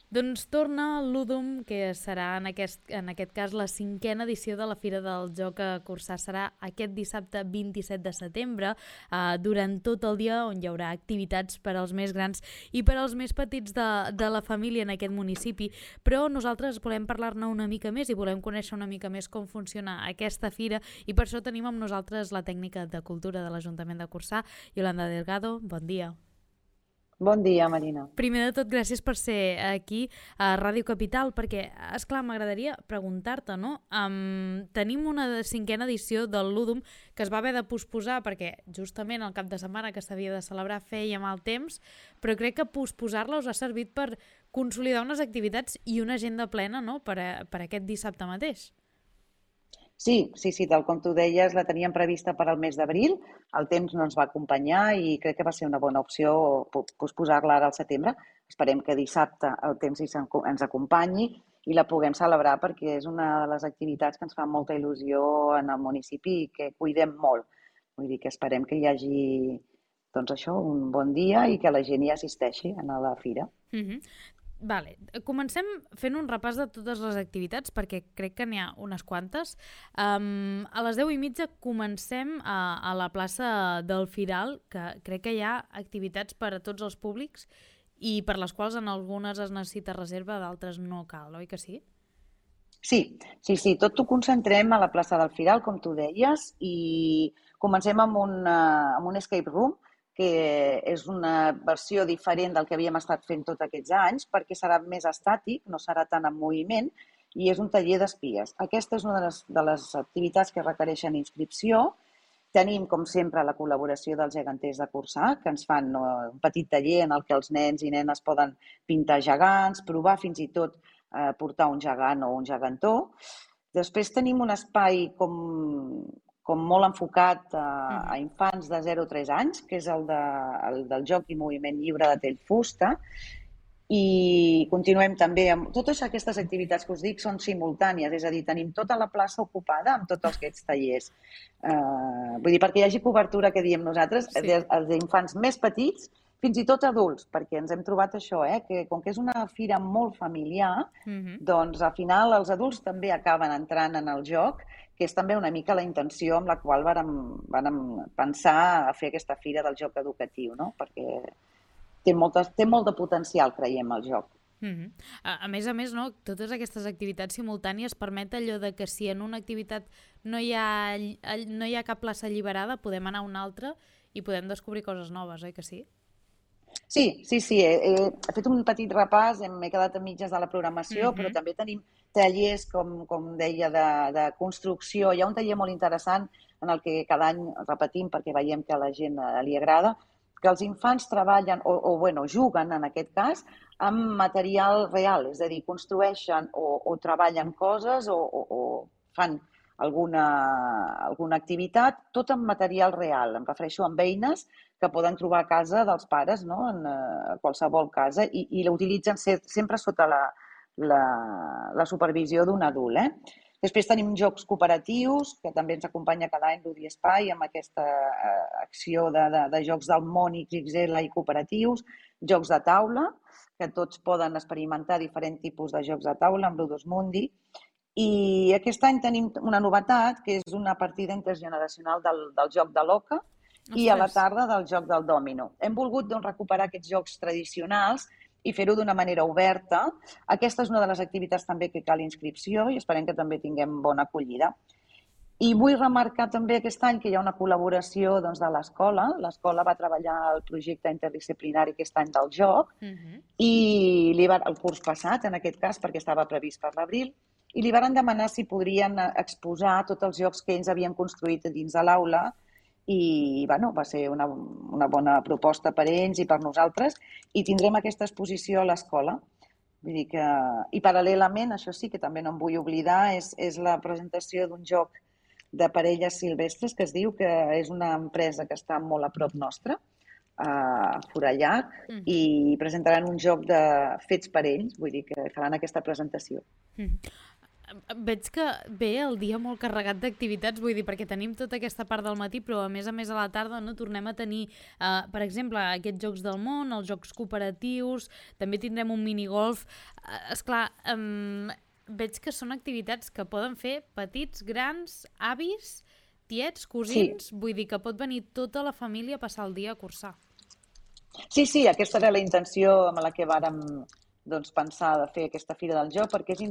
Doncs torna l'Udum, que serà en aquest cas la 5a edició de la Fira del Joc a Corçà. Serà aquest dissabte 27 de setembre, durant tot el dia, on hi haurà activitats per als més grans i per als més petits de la família en aquest municipi. Però nosaltres volem parlar-ne una mica més i volem conèixer una mica més com funciona aquesta fira, i per això tenim amb nosaltres la tècnica de cultura de l'Ajuntament de Corçà, Yolanda Delgado. Bon dia. Bon dia, Marina. Primer de tot, gràcies per ser aquí a Ràdio Capital, perquè, esclar, m'agradaria preguntar-te, no? Tenim una 5a edició del Ludum que es va haver de posposar perquè justament el cap de setmana que s'havia de celebrar feia mal temps, però crec que posposar-la us ha servit per consolidar unes activitats i una agenda plena, no?, per aquest dissabte mateix. Sí, tal com tu deies, la teníem prevista per al mes d'abril, el temps no ens va acompanyar i crec que va ser una bona opció posposar-la ara al setembre. Esperem que dissabte el temps ens acompanyi i la puguem celebrar, perquè és una de les activitats que ens fa molta il·lusió en el municipi i que cuidem molt. Vull dir que esperem que hi hagi, doncs això, un bon dia i que la gent hi assisteixi a la fira. Vale. Comencem fent un repàs de totes les activitats, perquè crec que n'hi ha unes quantes. A les 10:30 comencem a la plaça del Firal, que crec que hi ha activitats per a tots els públics i per les quals en algunes es necessita reserva, d'altres no cal, oi que sí? Sí, tot ho concentrem a la plaça del Firal, com tu deies, i comencem amb un escape room, que és una versió diferent del que havíem estat fent tots aquests anys, perquè serà més estàtic, no serà tant en moviment, i és un taller d'espies. Aquesta és una de les activitats que requereixen inscripció. Tenim, com sempre, la col·laboració dels geganters de Corçà, que ens fan un petit taller en el que els nens i nenes poden pintar gegants, provar fins i tot portar un gegant o un gegantó. Després tenim un espai com molt enfocat a infants de 0 a 3 anys, que és el del joc i moviment lliure de Tellfusta. I continuem també amb totes aquestes activitats que us dic, són simultànies, és a dir, tenim tota la plaça ocupada amb tots aquests tallers. Vull dir, perquè hi hagi cobertura, que diem nosaltres, sí, els infants més petits, fins i tot adults, perquè ens hem trobat això, que com que és una fira molt familiar, doncs al final els adults també acaben entrant en el joc, que és també una mica la intenció amb la qual vàrem pensar a fer aquesta fira del joc educatiu, no? Perquè té molt de potencial, creiem, el joc. A més, no, totes aquestes activitats simultànies permet allò de que si en una activitat no hi ha cap plaça alliberada, podem anar a una altra i podem descobrir coses noves, oi que sí? Sí, he fet un petit repàs, m'he quedat a mitges de la programació, però també tenim tallers, com deia, de construcció. Hi ha un taller molt interessant en el que cada any repetim, perquè veiem que a la gent li agrada, que els infants treballen, juguen, en aquest cas, amb material real, és a dir, construeixen o treballen coses o fan alguna activitat, tot amb material real. Em refereixo amb eines que poden trobar a casa dels pares, no?, en qualsevol casa, i l'utilitzen sempre sota la supervisió d'un adult. Després tenim jocs cooperatius, que també ens acompanya cada any l'Udi Espai, amb aquesta acció de jocs del món XXL i cooperatius, jocs de taula, que tots poden experimentar diferents tipus de jocs de taula amb l'Udus Mundi. I aquest any tenim una novetat, que és una partida intergeneracional del joc de l'oca i a la tarda del joc del dòmino. Hem volgut recuperar aquests jocs tradicionals i fer-ho d'una manera oberta. Aquesta és una de les activitats també que cal inscripció i esperem que també tinguem bona acollida. I vull remarcar també aquest any que hi ha una col·laboració de l'escola. L'escola va treballar el projecte interdisciplinari aquest any del joc i el curs passat, en aquest cas, perquè estava previst per l'abril, i li van demanar si podrien exposar tots els jocs que ells havien construït dins de l'aula i va ser una bona proposta per ells i per nosaltres, i tindrem aquesta exposició a l'escola. Vull dir que, i paral·lelament, això sí que també no em vull oblidar, és la presentació d'un joc de parelles silvestres que es diu, que és una empresa que està molt a prop nostra, a Forallac, i presentaran un joc fets per ells, vull dir que faran aquesta presentació. veig que ve el dia molt carregat d'activitats, vull dir, perquè tenim tota aquesta part del matí, però a més a la tarda no tornem a tenir, per exemple, aquests Jocs del Món, els Jocs Cooperatius, també tindrem un minigolf. Esclar, veig que són activitats que poden fer petits, grans, avis, tiets, cosins, vull dir que pot venir tota la família a passar el dia a cursar. Sí, aquesta era la intenció amb la que vàrem pensar de fer aquesta Fira del Joc, perquè és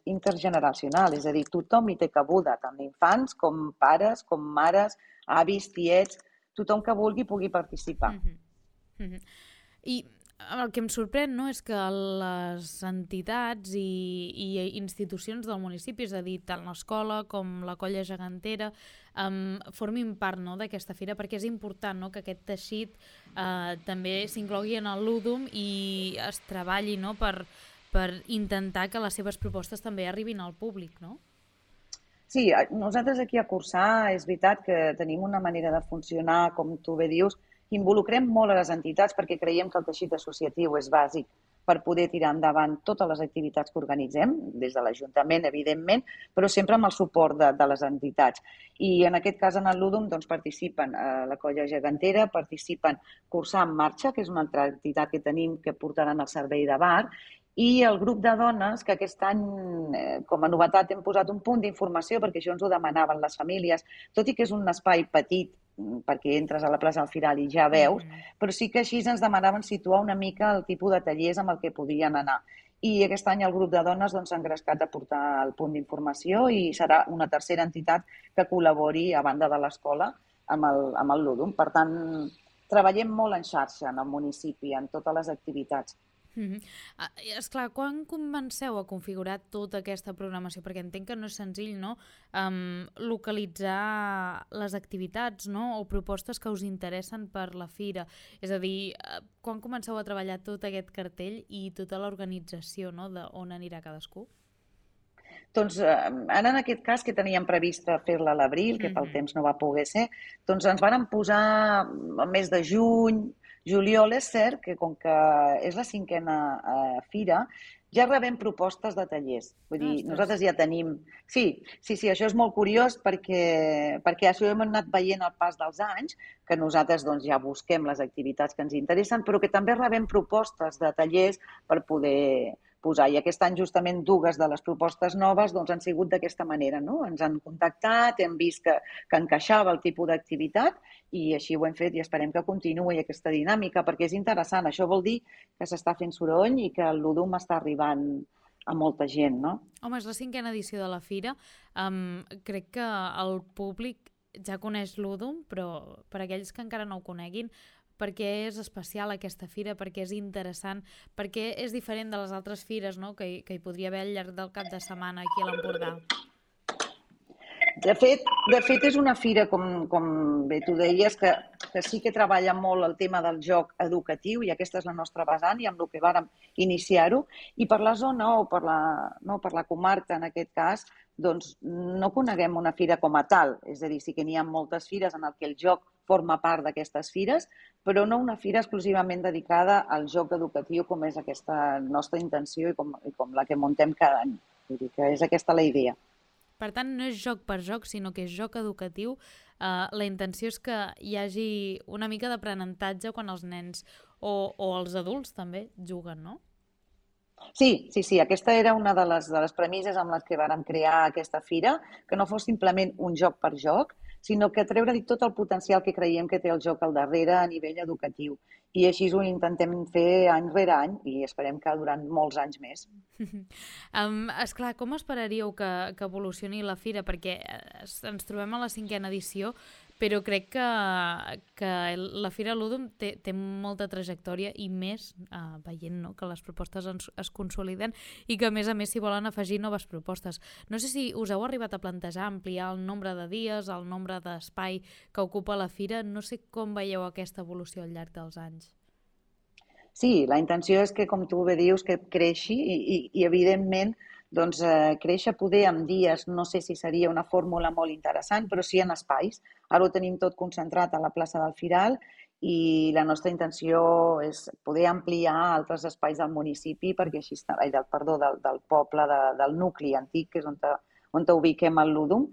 intergeneracional, és a dir, tothom hi té cabuda, tant infants com pares, com mares, avis, tiets, tothom que vulgui pugui participar. I el que em sorprèn, no, és que les entitats i institucions del municipi, és a dir, tant l'escola com la colla gegantera, formin part, no, d'aquesta fira, perquè és important, no, que aquest teixit també s'inclogui en el Ludum i es treballi, no, per intentar que les seves propostes també arribin al públic, no? Sí, nosaltres aquí a Cursar és veritat que tenim una manera de funcionar, com tu bé dius, involucrem molt a les entitats perquè creiem que el teixit associatiu és bàsic per poder tirar endavant totes les activitats que organitzem, des de l'Ajuntament, evidentment, però sempre amb el suport de les entitats. I en aquest cas, en el Ludum, participen la colla gegantera, participen Cursar en Marxa, que és una altra entitat que tenim que portaran el servei de bar, i el grup de dones, que aquest any, com a novetat, hem posat un punt d'informació, perquè això ens ho demanaven les famílies, tot i que és un espai petit, perquè entres a la plaça del Firal i ja veus, però sí que així ens demanaven situar una mica el tipus de tallers amb el que podien anar. I aquest any el grup de dones s'ha engrescat a portar el punt d'informació i serà una tercera entitat que col·labori a banda de l'escola amb el Ludum. Per tant, treballem molt en xarxa en el municipi, en totes les activitats. Esclar, quan comenceu a configurar tota aquesta programació? Perquè entenc que no és senzill, no? Localitzar les activitats, no? O propostes que us interessen per la fira. És a dir, quan comenceu a treballar tot aquest cartell i tota l'organització, no? D'on anirà cadascú? Doncs ara en aquest cas que teníem previst fer-la a l'abril, que pel temps no va poder ser, doncs ens vàrem posar el mes de juny, juliol. És cert que com que és la 5a fira, ja rebem propostes de tallers. Vull dir, nosaltres ja tenim... Sí, això és molt curiós perquè això hem anat veient al pas dels anys, que nosaltres ja busquem les activitats que ens interessen, però que també rebem propostes de tallers per poder posar. I aquest any justament dues de les propostes noves han sigut d'aquesta manera, no? Ens han contactat, hem vist que encaixava el tipus d'activitat i així ho hem fet i esperem que continuï aquesta dinàmica perquè és interessant. Això vol dir que s'està fent soroll i que el Ludum està arribant a molta gent, no? Home, és la 5a edició de la fira. Crec que el públic ja coneix Ludum, però per aquells que encara no ho coneguin, perquè és especial aquesta fira, perquè és interessant, perquè és diferent de les altres fires, no? que hi podria haver al llarg del cap de setmana aquí a l'Empordà. De fet, és una fira, com bé tu deies, que sí que treballa molt el tema del joc educatiu i aquesta és la nostra vessant i amb el que vàrem iniciar-ho. I per la zona o per la comarca, en aquest cas, doncs no coneguem una fira com a tal. És a dir, sí que n'hi ha moltes fires en què el joc forma part d'aquestes fires, però no una fira exclusivament dedicada al joc educatiu com és aquesta nostra intenció i com la que muntem cada any. Vull dir que és aquesta la idea. Per tant, no és joc per joc, sinó que és joc educatiu. La intenció és que hi hagi una mica d'aprenentatge quan els nens o els adults també juguen, no? Sí. Aquesta era una de les premisses amb les que vàrem crear aquesta fira, que no fos simplement un joc per joc, sinó que treure-li tot el potencial que creiem que té el joc al darrere a nivell educatiu. I així ho intentem fer any rere any i esperem que durant molts anys més. Esclar, com esperaríeu que evolucioni la fira? Perquè ens trobem a la 5a edició, però crec que la Fira Ludum té molta trajectòria i més veient, no?, que les propostes es consoliden i que a més s'hi volen afegir noves propostes. No sé si us heu arribat a plantejar ampliar el nombre de dies, el nombre d'espai que ocupa la fira. No sé com veieu aquesta evolució al llarg dels anys. Sí, la intenció és que, com tu bé dius, que creixi i evidentment, doncs, créixer poder en dies, no sé si seria una fórmula molt interessant, però sí en espais. Ara ho tenim tot concentrat a la plaça del Firal i la nostra intenció és poder ampliar altres espais del municipi perquè així del poble, del nucli antic, que és on ubiquem el Ludum,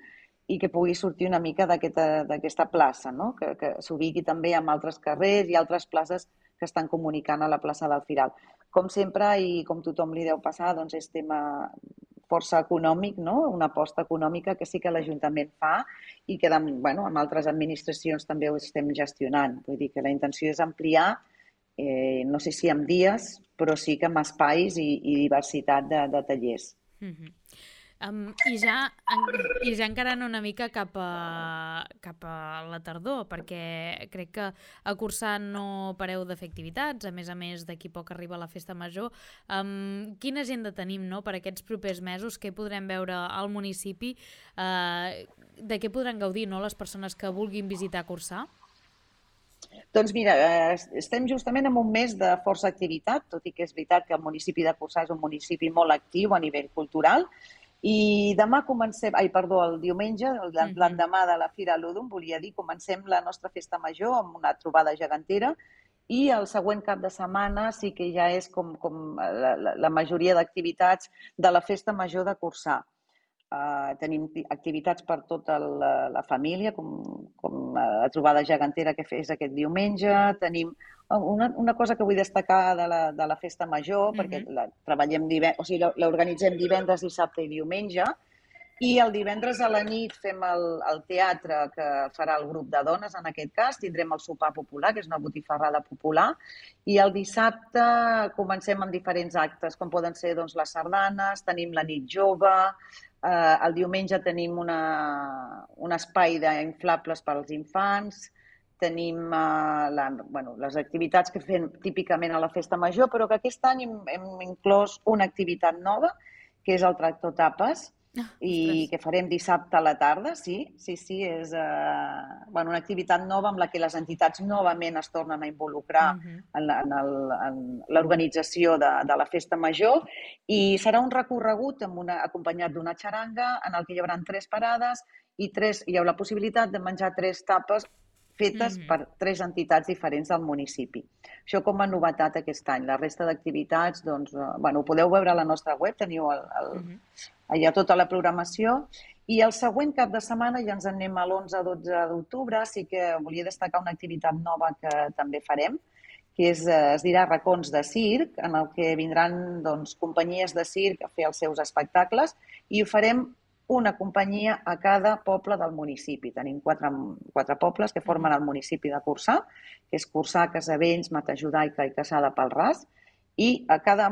i que pugui sortir una mica d'aquesta plaça, no? Que s'ubiqui també amb altres carrers i altres places que estan comunicant a la plaça del Firal. Com sempre, i com tothom li deu passar, doncs és tema força econòmic, no? Una aposta econòmica que sí que l'Ajuntament fa i que amb altres administracions també ho estem gestionant. Vull dir que la intenció és ampliar, no sé si amb dies, però sí que amb espais i diversitat de tallers. I ja encarant una mica cap a la tardor, perquè crec que a Corçà no pareu de fer activitats, a més d'aquí poc arriba la Festa Major. Quina agenda tenim, no?, per aquests propers mesos? Què podrem veure al municipi? De què podran gaudir, no?, les persones que vulguin visitar Corçà? Doncs mira, estem justament en un mes de força activitat, tot i que és veritat que el municipi de Corçà és un municipi molt actiu a nivell cultural. I el diumenge, l'endemà de la Fira Ludum, volia dir, comencem la nostra festa major amb una trobada gegantera i el següent cap de setmana sí que ja és com la majoria d'activitats de la festa major de Corçà. Tenim activitats per tota la família, com la trobada gegantera que fes aquest diumenge. Tenim una cosa que vull destacar de la festa major, perquè l'organitzem divendres, dissabte i diumenge, i el divendres a la nit fem el teatre que farà el grup de dones, en aquest cas. Tindrem el sopar popular, que és una botifarrada popular, i el dissabte comencem amb diferents actes, com poden ser les sardanes, tenim la nit jove. El diumenge tenim un espai d'inflables per als infants, tenim les activitats que fem típicament a la festa major, però que aquest any hem inclòs una activitat nova, que és el tractor tapes, i que farem dissabte a la tarda. Sí, és una activitat nova amb la que les entitats novament es tornen a involucrar en l'organització de la festa major, i serà un recorregut acompanyat d'una xaranga en el que hi haurà 3 parades i hi haurà la possibilitat de menjar 3 tapes fetes per 3 entitats diferents del municipi. Això com a novetat aquest any. La resta d'activitats, ho podeu veure a la nostra web, teniu allà tota la programació. I el següent cap de setmana, ja ens en anem a l'11-12 d'octubre, sí que volia destacar una activitat nova que també farem, que es dirà Racons de Circ, en el que vindran companyies de circ a fer els seus espectacles, i ho farem una companyia a cada poble del municipi. Tenim 4 pobles que formen el municipi de Corçà, que és Corçà, Casavells, Matajudaica i Cassà de Palràs, i a cada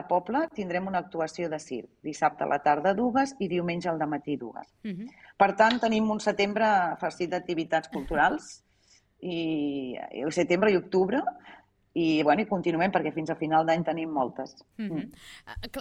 poble tindrem una actuació de circ, dissabte a la tarda 2 i diumenge al dematí 2. Per tant, tenim un setembre farcit d'activitats culturals, i setembre i octubre, i continuem perquè fins a final d'any tenim moltes.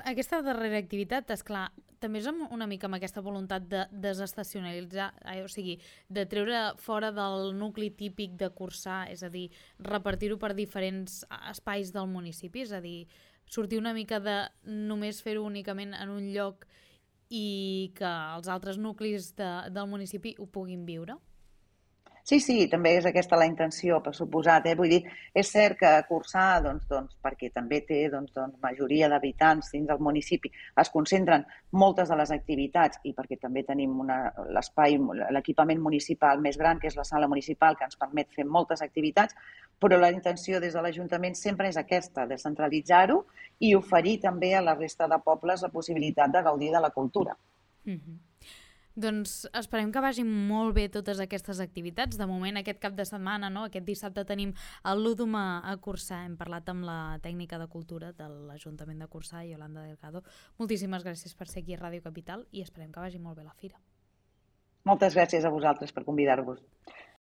Aquesta darrera activitat, esclar, també és una mica amb aquesta voluntat de desestacionalitzar, o sigui, de treure fora del nucli típic de Corçà, és a dir, repartir-ho per diferents espais del municipi, és a dir, sortir una mica de només fer-ho únicament en un lloc i que els altres nuclis del municipi ho puguin viure? Sí, també és aquesta la intenció, per suposat. Vull dir, és cert que Corçà, perquè també té majoria d'habitants dins del municipi, es concentren moltes de les activitats, i perquè també tenim l'equipament municipal més gran, que és la sala municipal, que ens permet fer moltes activitats, però la intenció des de l'Ajuntament sempre és aquesta, descentralitzar-ho i oferir també a la resta de pobles la possibilitat de gaudir de la cultura. Doncs esperem que vagin molt bé totes aquestes activitats. De moment, aquest cap de setmana, aquest dissabte, tenim el Ludum a Corçà. Hem parlat amb la tècnica de cultura de l'Ajuntament de Corçà, Yolanda Delgado. Moltíssimes gràcies per ser aquí a Ràdio Capital i esperem que vagi molt bé la fira. Moltes gràcies a vosaltres per convidar-vos.